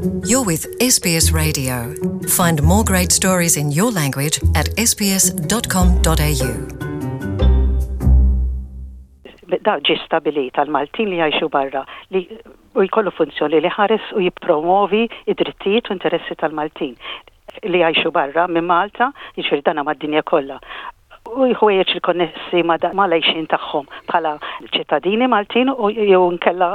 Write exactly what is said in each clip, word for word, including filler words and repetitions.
You're with S B S Radio. Find more great stories in your language at S B S dot com dot A U. Da ġie stabilit għal-Maltin li jgħixu barra li u jkollu funzjoni li jħares u jippromovi id-drittijiet u interessi tal-Maltin li jgħixu barra minn Malta, jiġifieri dana mad-dinja kollha, u ħwejjeġ il-konnessi ma' l-għajxien tagħhom bħala ċittadini Maltin u jew nkella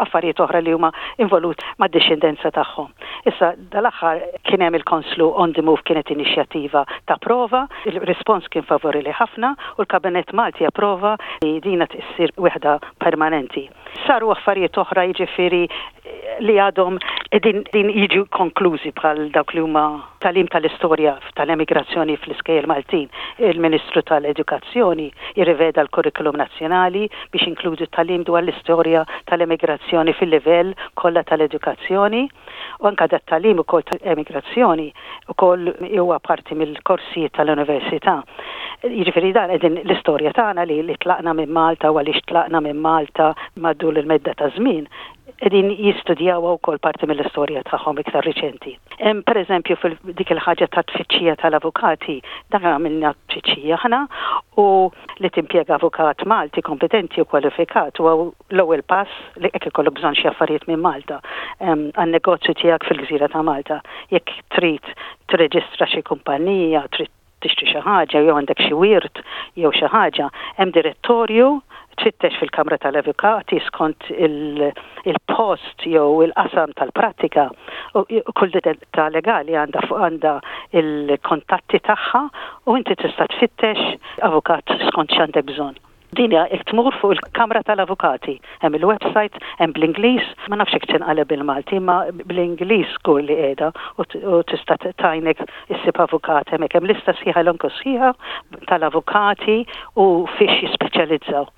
affarijiet oħra li huma involut mad-dixxendenza tagħhom. Issa dal-aħħar kien hemm il-Konslu on the Move, kienet inixjattiva ta' prova, il-rispons kien favorili ħafna u l-Kabinett Malti approva li dina tissir waħda permanenti. Saru affarijiet oħra, jiġifieri li għadhom din, din jiġu konklużi, bħal dawk li huma tagħlim tal-istorja tal-emigrazzjoni fl-iskejjel Maltin. Il-Ministru tal-Edukazzjoni jirriveda l-kurrikulum nazzjonali biex inkludu tagħlim dwar l-istorja tal-emigrazzjoni fil-livell kollha tal-edukazzjoni u anka dat tagħlim ukoll tal-emigrazzjoni ukoll huwa parti mill-korsijiet tal-università. Jiġifieri dan qegħdin l-istorja tagħna li, li tlaqna minn Malta u għaliex tlaqna minn Malta madwar il-medda ta' żmien, qegħdin jistudjaw ukoll parti mill-istorja tagħhom iktar riċenti. Hemm, pereżempju, fil dik il-ħaġa ta' tfittxija tal-avukati, dan għamilna tfittxija aħna, u li timpjega avukat Malti kompetenti u kwalifikat huwa l-ewwel pass li jekk ikollok bżonn xi affarijiet minn Malta għan-negozju tiegħek fil-gżira ta' Malta. Jekk trid tirreġistra xi kumpanija, trid tixtri xi ħaġa jew għandek xi wirt jew xi ħaġa, hemm direttorju, tfittex fil-Kamra tal-Avukati skont il-post jew il-qasam tal-prattika u kull ta' legali għandha fuq għandha il-kontatti tagħha u inti tista' tfittex avukat skont x'għandek bżonn. Din hija jekk tmur fuq il-Kamra tal-Avukati. Hemm il-website, hemm bl-Ingliż, ma nafx jekk tinqaleb bil-Malti, ma bl-Ingliż żgur li qiegħda u tista' tgħinek issib avukat hemmhekk. Hemm lista sħiħa, elenku sħiħa tal-avukati u fiex jispeċjalizzaw.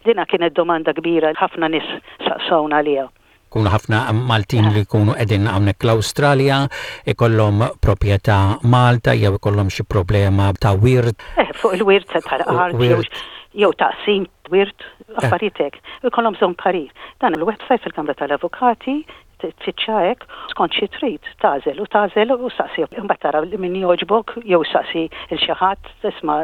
Dina kienet domanda kbira, ħafna nies saqsawna għaliha. Kunu ħafna Maltin li jkunu qegħdin hawnhekk l-Awstralja, ikollhom proprjetà Malta jew ikollhom xi problema ta' wirt. Eh, fuq il-wirt tal-art jew taqsim wirt, affarijiet hekk. Ikollhom bżonn parir. Dan il-website fil-Kamra tal-Avukati, tfittxa hekk skont xi trid, tagħżel u tagħżel u saqsi. Imbagħad tara min jogħġbok jew saqsi il xi ħadd, tisma',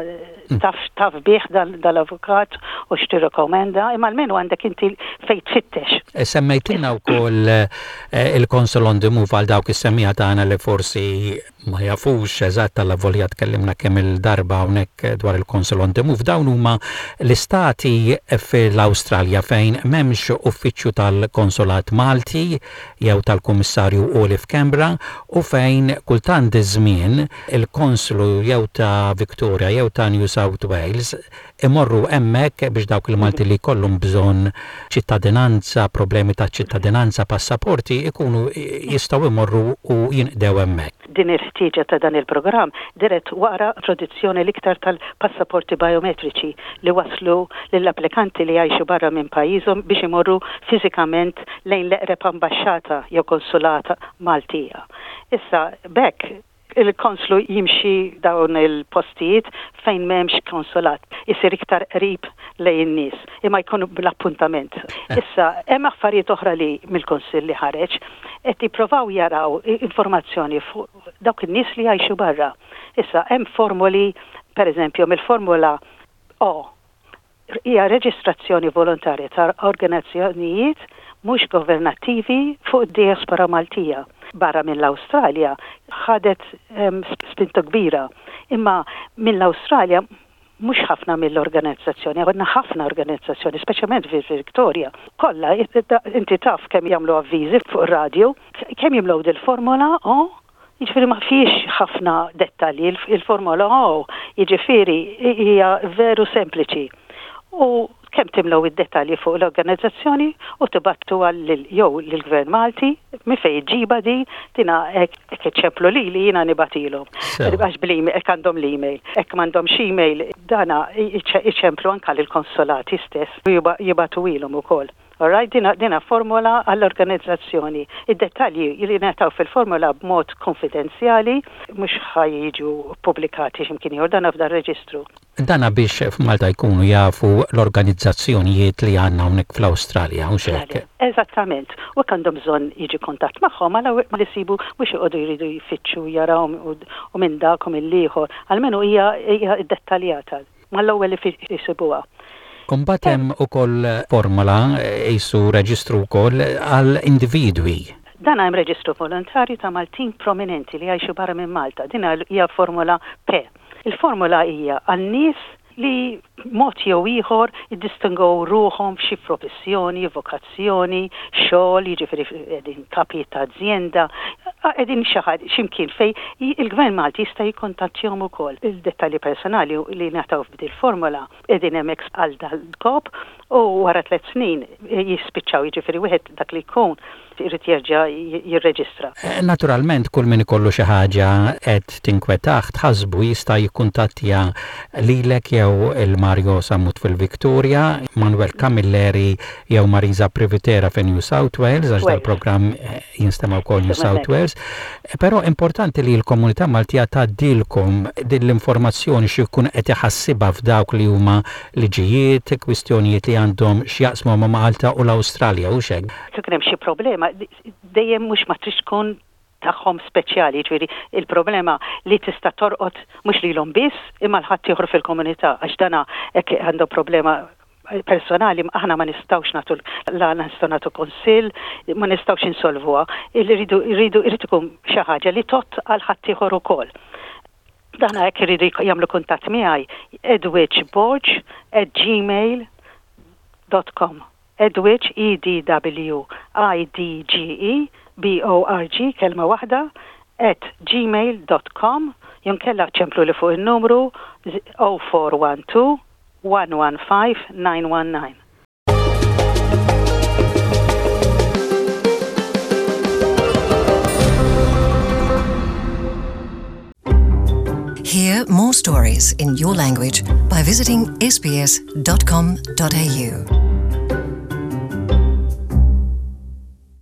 taf taf bih dal-avukat u x'tirrekomenda, imma almenu għandek inti fejn tfittex. E, semmejtilna wkoll eh, il-Consul on the Move għal dawk is-semmiegħa tagħna li forsi ma jafux eżatt, avolja tkellimna kemm il-darba hawnhekk dwar il-Consul on the Move. Dawn huma l-istati fil-Awstralja fejn m'hemmx uffiċċju tal-Konsolat Malti jew tal-Kummissarju Għoli f'Canberra u fejn kultant iż-żmien il-konslu jew ta' Victoria jew ta' New South Wales imorru hemmhekk biex dawk il-Malti li jkollhom bżonn ċittadinanza, problemi ta' ċittadinanza, passaporti, ikunu jistgħu imorru u jinqdew hemmhekk. Din il-ħtieġa ta' dan il-programm dirett wara introduzzjoni l-iktar tal-passaporti biometriċi li waslu lill-applikanti li jgħixu barra minn pajjiżhom biex imorru fiżikament lejn l-eqreb ambaxxata jew konsulata Maltija. Issa bekk il-konslu jimxi dawn il-postijiet fejn m'hemmx konsulat, isir iktar qrib lejn in-nies, imma jkunu bl-appuntament. Issa hemm affarijiet oħra li mill-Kunsill li ħareġ, qed jippruvaw jaraw informazzjoni fuq dawk in-nies li jgħixu barra. Issa hemm formuli, per eżempju, mill-formula O hija reġistrazzjoni volontarja ta' organizzazzjonijiet mhux governattivi fuq id-diaspora Maltija. Barra mill-Awstralja ħadet um, spinta kbira, imma mill-Awstralja mhux ħafna mill-organizzazzjoni, għandna ħafna organizzazzjoni, speċjalment fi Victoria. Kollha, inti taf kemm jagħmlu avviżi fuq ir-radju, kemm jimlew dil-formola O, jiġifieri ma fiex ħafna dettalji, il-formola O, jiġifieri hija veru sempliċi. U kemm timlew id-dettalji fuq l-organizzazzjoni u tibagħtu għal jew lill-Gvern Malti minn fejn ġiba di tina hekk iċemplu li li jiena nibagħtilhom. Għax bl-email, hekk għandhom l-email, hekk m'għandhomx email dana iċemplu anka lill-konsolati stess u jibagħtu ilhom ukoll. Alright, dina, dina formola għall-organizzazzjoni. Id-dettalji li ngħataw fil-formola b'mod konfidenzjali mhux ħa jiġu pubblikati x'imkien ieħor, dana f'dan reġistru. Dana biex f'Malta jkunu jafu l-organizzazzjonijiet li għandna hawnhekk fl-Awstralja, hux hekk? Eżattament. U għandhom bżonn jiġi kuntatt magħhom għala ma li sibu mhux joqogħdu jridu jfittxu jaraw u minn dak u mill-ieħor. Almenu hija hija dettaljata. Mal-ewwel li jsibuha. Imbagħad hemm ukoll formola qisu reġistru wkoll għal individwi. Dan hemm reġistru volontarju ta' Maltin prominenti li jgħixu barra minn Malta. Din hija formola P. Il-formola hija għal nies li mod jew ieħor jiddistingow ruħhom f'xi professjoni, vokazzjoni, xogħol, jiġifieri qegħdin kapijiet ta' ażjenda, qegħdin xi ħadd x'imkien fej il-Gvern Malti jista' jikkuntattjahom ukoll. Il-dettalji personali li ngħataw f'dil formola qegħdin hemmhekk għal dal-kop u wara tliet snin jispiċċaw, jiġifieri wieħed dak li jkun irid jerġa' jirreġistra. Eh, naturalment kull min ikollu xi ħaġa qed tinkwetah tħassbu jista' jikkuntattja lilek jew il-Mario Sammut fil-Victoria, Manuel Camilleri jew Marisa Privitera fi New South Wales, għax dal-programm eh, jinstema' wkoll New South Wales. Eh, però importanti li l-komunità Maltija tgħaddilkom din l-informazzjoni xi jkun qed iħassibha f'dawk li huma liġijiet, kwistjonijiet li għandhom x'jaqsmu ma' Malta u l-Awstralja u xek. Kien hemm xi problema dejjem mhux ma trix tkun tagħhom speċjali, ġifieri il-problema li tista' torqod mhux lilhom biss imma l-ħadd ieħor fil-komunità għax dana hekk għandu problema personali aħna ma nistgħux nagħtu la nistgħu nagħtu kunsill, ma nistgħux insolvuha. Irridu irridu irid ikun xi ħaġa li tgħodd għal ħadd ieħor ukoll. Dana hekk iridu jagħmlu kuntatt miegħi edwidgeborg at gmail dot com. Edwidge, E D W I D G E B O R G, kelma waħda, at gmail dot com, jinkella ċemplu li fuq il-numru oh four one two one one five nine one nine. Hear more stories in your language by visiting S B S dot com dot A U.